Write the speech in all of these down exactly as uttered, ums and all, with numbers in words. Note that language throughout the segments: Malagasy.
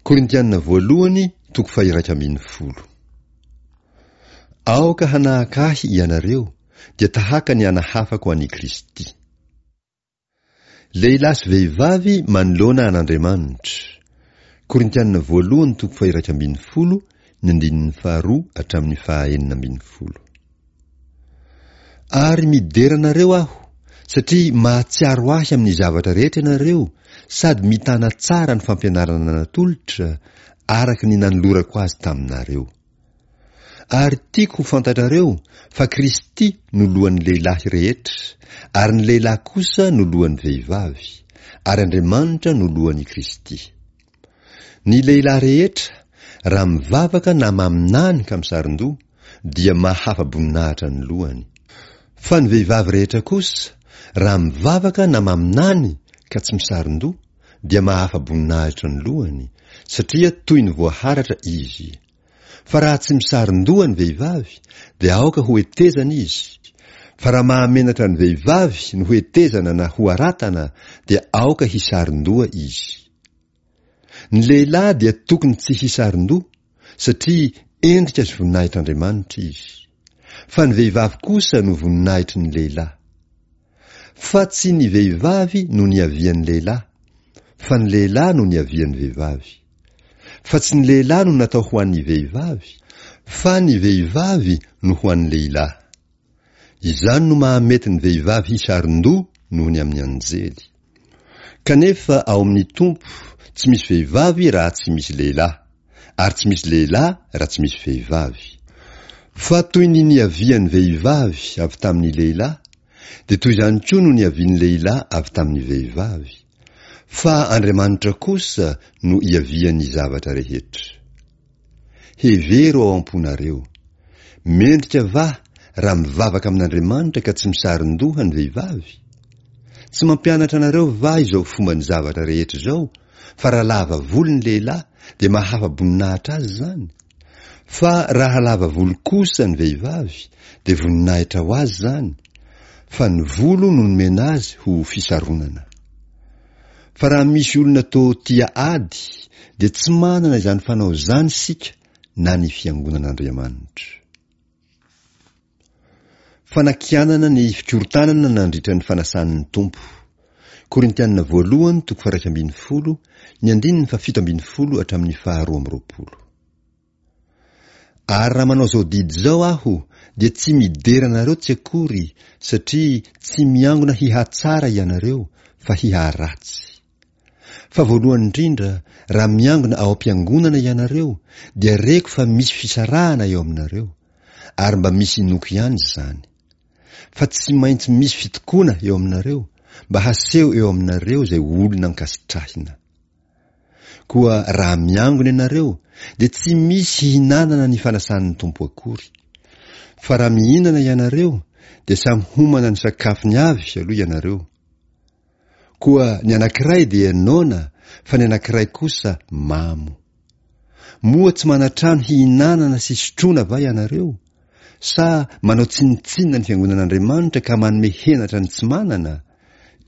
Korintiana voalohany toko faha-iraika ambin'ny folo. Aoka hanahaka ahy ianareo, dia tahaka ny anahafako an'i Kristy. Lehilahy sy vehivavy manoloana an'Andriamanitra. Korintiana voalohany toko faha-iraika ambin'ny folo, ny andininy faharoa hatramin'ny faha-enina ambin'ny folo. Ary midera anareo aho, satria mahatsiaro ahy amin'ny zavatra rehetra ianareo sady mitana tsara ny fampianarana natolotra, araka ny nanolorako azy taminareo. Ary tiako ho fantatrareo fa Kristy no lohan'ny lehilahy rehetra, ary ny lehilahy kosa no lohan'ny vehivavy, ary Andriamanitra no lohan'i Kristy. Ny lehilahy rehetra, raha mivavaka na maminany ka misaron-doha, dia mahafa-boninahitra ny lohany. Fa ny vehivavy rehetra kosa, raha mivavaka na maminany ka tsy misaron-doha, dia mahafa-boninahitra ny lohany, satria toy ny voaharatra izy. Fa raha tsy misaron-doha ny vehivavy, dia aoka ho hetezana izy. Fa raha mahamenatra ny vehivavy no ho hetezana na ho aratana, dia aoka hisaron-doha izy. Ny lehilahy dia tokony tsy hisaron-doha, satria endrika sy voninahitr'Andriamanitra izy. Fa ny vehivavy kosa no voninahitry ny lehilahy. Fa tsy ny vehivavy no niavian'ny lehilahy, fa ny lehilahy no niavian'ny vehivavy. Fa tsy ny lehilahy no natao ho an'ny vehivavy, fa ny vehivavy no ho an'ny lehilahy. Izany no mahamety ny vehivavy hisaron-doha noho ny amin'ny anjely. Kanefa ao amin'ny Tompo tsy misy vehivavy raha tsy misy lehilahy, ary tsy misy lehilahy raha tsy misy vehivavy. Fa toy ny niavian'ny vehivavy avy tamin'ny lehilahy, dia toy izany koa no niavian'ny lehilahy avy tamin'ny vehivavy. Fa Andriamanitra kosa no iavian'ny zavatra rehetra. Hevero ao am-ponareo. Mendrika va raha mivavaka amin'Andriamanitra ka tsy misaron-doha ny vehivavy? Tsy mampianatra anareo va izao fomba ny zavatra rehetra izao, fa raha lava volo ny lehilahy dia mahafa-boninahitra azy izany? Fa raha lava volo kosa ny vehivavy dia voninahitra ho azy izany, fa ny volo no nomena azy ho fisaronana. Fa raha misy olona toa tia ady dia tsy manana izany fanao izany isika na ny fiangonan'Andriamanitra. Fanakianana ny fikorontanana nandritra ny fanasan'ny Tompo. Korintiana voalohany toko faha-iraika ambin'ny folo, ny andininy fahafito ambin'ny folo hatramin'ny faharoa amby roapolo. Ary raha manao izao didy izao aho, dia tsy midera anareo tsy akory, satria tsy miangona hihatsara ianareo, fa hiharatsy. Fa voalohany indrindra, raha miangona ao am-piangonana ianareo, dia reko fa misy fisarahana eo aminareo, ary mba misy inoako ihany izany. Fa tsy maintsy misy fitokoana eo aminareo, mba haseho eo aminareo izay olona ankasitrahina. Koa raha miangona ianareo, dia tsy misy hihinanana ny fanasan'ny Tompo akory. Fa raha mihinana ianareo, dia samy homana ny sakafony avy aloha ianareo. Koa ny anankiray dia noana, fa ny anankiray kosa mamo. Moa tsy manan-trano hihinanana sy sotroina va ianareo? Sa manao tsinontsinona ny fiangonan'Andriamanitra ka manome henatra ny tsy manana?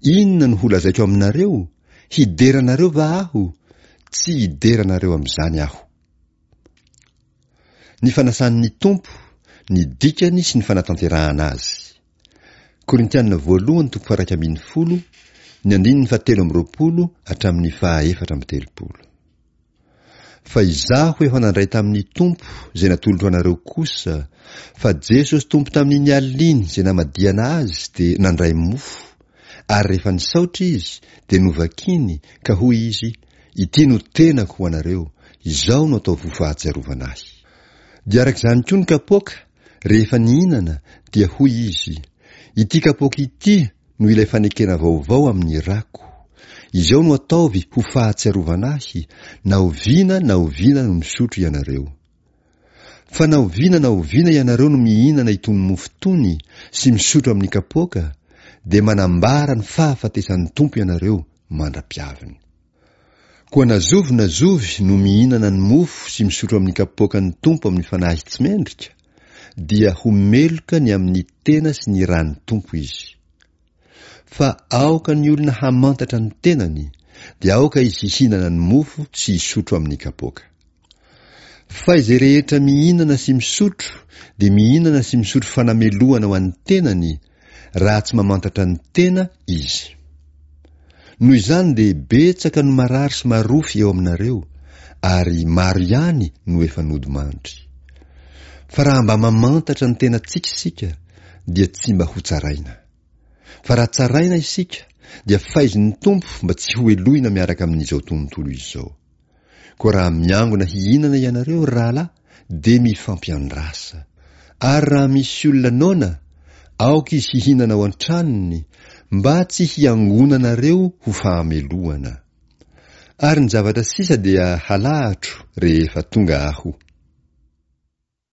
Inona no holazaiko aminareo? Hidera anareo va aho? Tsy hidera anareo amin'izany aho. Ny fanasan'ny Tompo, ny dikany sy ny fanatanterahana azy. Korintiana voalohany toko faha-iraika ambin'ny folo, ny andininy fahatelo amby roapolo hatramin'ny faha-efatra amby telopolo. Fa izaho efa nandray tamin'ny Tompo izay natolotro anareo kosa, fa Jesosy Tompo tamin'iny alina iny izay namadihana azy dia nandray mofo, ary rehefa nisaotra izy dia novakiny ka hoy izy, Ity no tenako ho anareo, izao no ataovy ho fahatsiarovana ahy. Dia araka izany koa ny kapoaka, rehefa nihinana, dia hoy izy, Ity kapoaka ity no ilay fanekena vaovao amin'ny rako. Izao no ataovy ho fahatsiarovana ahy, na oviana na oviana no misotro ianareo. Fa na oviana na oviana ianareo no mihinana itony mofo itony sy misotro amin'ny kapoaka, dia manambara ny fahafatesan'ny Tompo ianareo mandra-piaviny. Koa na zovy na zovy no mihinana ny mofo sy misotro amin'ny kapoakan'ny Tompo amin'ny fanahy tsy mendrika, dia ho meloka ny amin'ny tena sy ny ran'ny Tompo izy. Fa aoka ny olona hamantatra ny tenany, dia aoka izy hihinana ny mofo sy hisotro amin'ny kapoaka. Fa izay rehetra mihinana sy misotro dia mihinana sy misotro fanamelohana ho an'ny tenany, raha tsy mamantatra ny tena izy. Noho izany dia betsaka no marary sy marofy eo aminareo, ary maro ihany no efa nodimandry. Fa raha mba mamantatra ny tenantsika isika, dia tsy mba hotsaraina. Fa raha tsaraina isika, dia faizin'ny Tompo mba tsy hohelohina miaraka amin'izao tontolo izao. Koa raha miangona hihinana ianareo, ry rahalahy, dia mifampiandrasa. Ary raha misy olona noana, aoka izy hihinana ao an-tranony, mba tsy hiangonanareo ho fahamelohana. Ary ny zavatra sisa dia halahatro rehefa tonga aho.